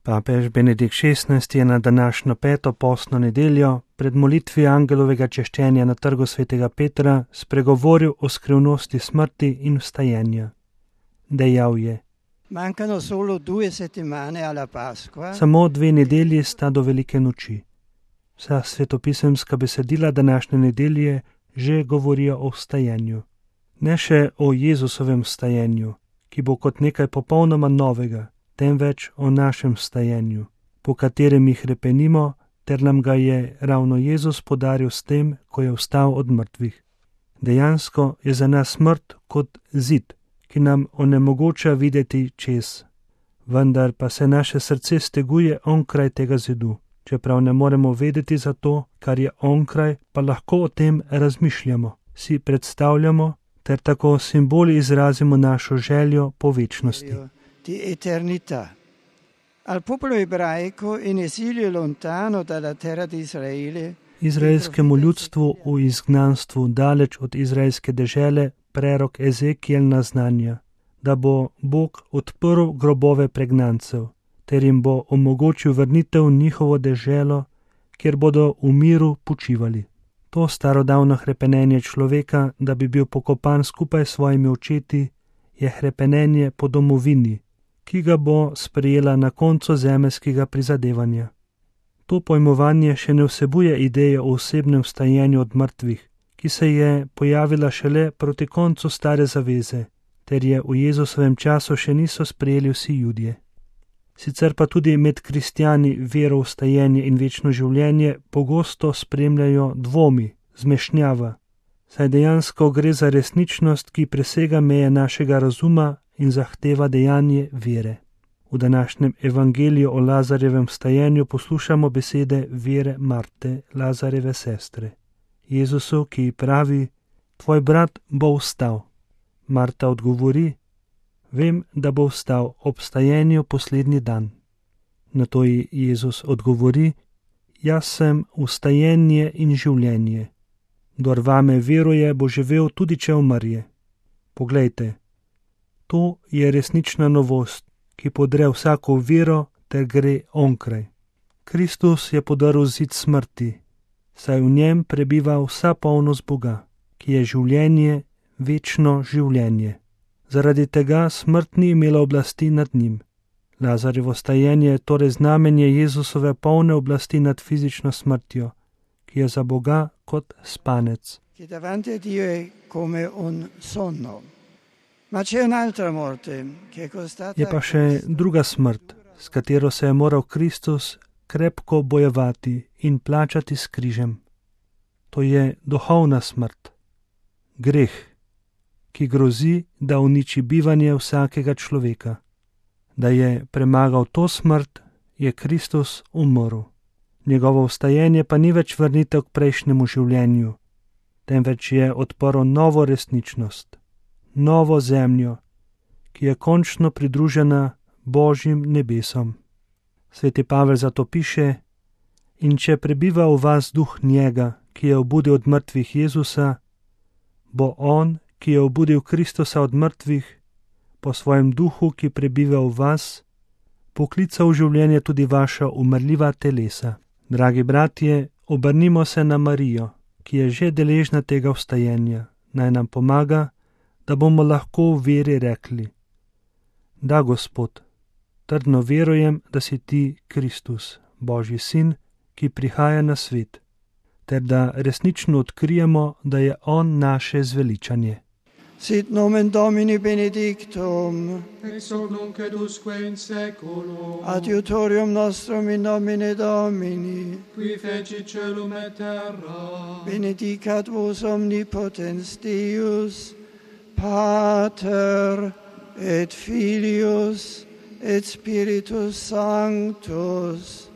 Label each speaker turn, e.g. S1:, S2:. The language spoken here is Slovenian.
S1: Papež Benedikt XVI je na današnjo 5. postno nedeljo pred molitvijo angelovega češčenja na trgu svetega Petra spregovoril o skrivnosti smrti in vstajenja. Dejal je: Samo 2 nedelji sta do velike noči. Vsa svetopisemska besedila današnje nedelje že govorijo o vstajenju. Ne še o Jezusovem vstajenju, ki bo kot nekaj popolnoma novega, temveč o našem vstajenju, po katerem jih hrepenimo, ter nam ga je ravno Jezus podaril s tem, ko je vstal od mrtvih. Dejansko je za nas smrt kot zid, ki nam onemogoča videti čez, vendar pa se naše srce steguje onkraj tega zidu. Čeprav ne moremo vedeti za to, kar je onkraj, pa lahko o tem razmišljamo, si predstavljamo, ter tako simboli izrazimo našo željo po večnosti. Izraelskemu ljudstvu v izgnanstvu daleč od izraelske dežele prerok Ezekijel naznanja, da bo Bog odprl grobove pregnancev, ter jim bo omogočil vrnitev v njihovo deželo, kjer bodo v miru počivali. To starodavno hrepenenje človeka, da bi bil pokopan skupaj s svojimi očeti, je hrepenenje po domovini, ki ga bo sprejela na koncu zemeljskega prizadevanja. To pojmovanje še ne vsebuje ideje o osebnem vstajenju od mrtvih, ki se je pojavila šele proti koncu stare zaveze, ter je v Jezusovem času še niso sprejeli vsi Judje. Sicer pa tudi med kristjani vero v vstajenje in večno življenje pogosto spremljajo dvomi, zmešnjava, saj dejansko gre za resničnost, ki presega meje našega razuma in zahteva dejanje vere. V današnjem evangeliju o Lazarjevem vstajenju poslušamo besede vere Marte, Lazarjeve sestre. Jezusu, ki pravi: Tvoj brat bo vstal. Marta odgovori: Vem, da bo vstal ob vstajenju poslednji dan. Nato ji Jezus odgovori: Jaz sem vstajenje in življenje. Kdor vame veruje, bo živel tudi če umrje. Poglejte, to je resnična novost, ki podre vsako vero ter gre onkraj. Kristus je podrl zid smrti, saj v njem prebiva vsa polnost Boga, ki je življenje, večno življenje. Zaradi tega smrt ni imela oblasti nad njim. Lazarjevo vstajenje je torej znamenje Jezusove polne oblasti nad fizično smrtjo, ki je za Boga kot spanec. Je pa še druga smrt, s katero se je moral Kristus krepko bojevati in plačati s križem. To je duhovna smrt, greh, ki grozi, da uniči bivanje vsakega človeka. Da je premagal to smrt, je Kristus umrl. Njegovo vstajenje pa ni več vrnitev k prejšnjemu življenju, temveč je odprl novo resničnost, novo zemljo, ki je končno pridružena Božjim nebesom. Sveti Pavel zato piše: In če prebiva v vas duh njega, ki je obudil od mrtvih Jezusa, bo on, ki je obudil Kristusa od mrtvih, po svojem duhu, ki prebiva v vas, poklical v življenje tudi vaša umrljiva telesa. Dragi bratje, obrnimo se na Marijo, ki je že deležna tega vstajenja. Naj nam pomaga, da bomo lahko v veri rekli: Da, Gospod, trdno verujem, da si ti Kristus, Božji sin, ki prihaja na svet, ter da resnično odkrijemo, da je on naše zveličanje.
S2: Sit nomen Domini benedictum,
S3: ex hoc nunc et usque in seculum,
S2: adiutorium nostrum in nomine Domini,
S3: qui fecit caelum et terra,
S2: benedicat vos omnipotens Deus, Pater et Filius et Spiritus Sanctus.